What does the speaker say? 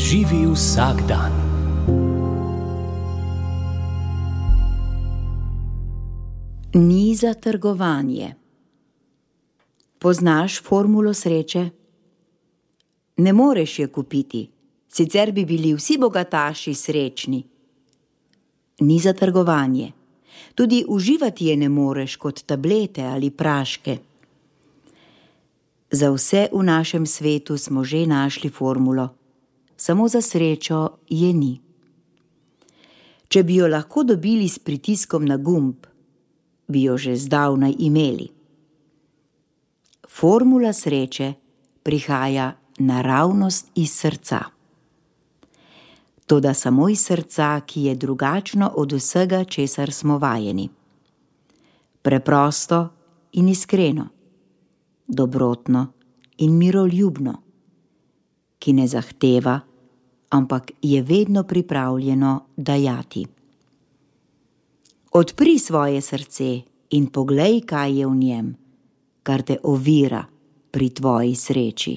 Živi vsak dan. Ni za trgovanje. Poznaš formulo sreče? Ne moreš je kupiti, sicer bi bili vsi bogataši srečni. Ni za trgovanje. Tudi uživati je ne moreš kot tablete ali praške. Za vse v našem svetu smo že našli formulo, samo za srečo je ni. Če bi jo lahko dobili s pritiskom na gumb, bi jo že zdavnaj imeli. Formula sreče prihaja naravnost iz srca. Toda samo iz srca, ki je drugačno od vsega, česar smo vajeni. Preprosto in iskreno, dobrotno in miroljubno, ki ne zahteva, ampak je vedno pripravljeno dajati. Odpri svoje srce in poglej, kaj je v njem, kar te ovira pri tvoji sreči.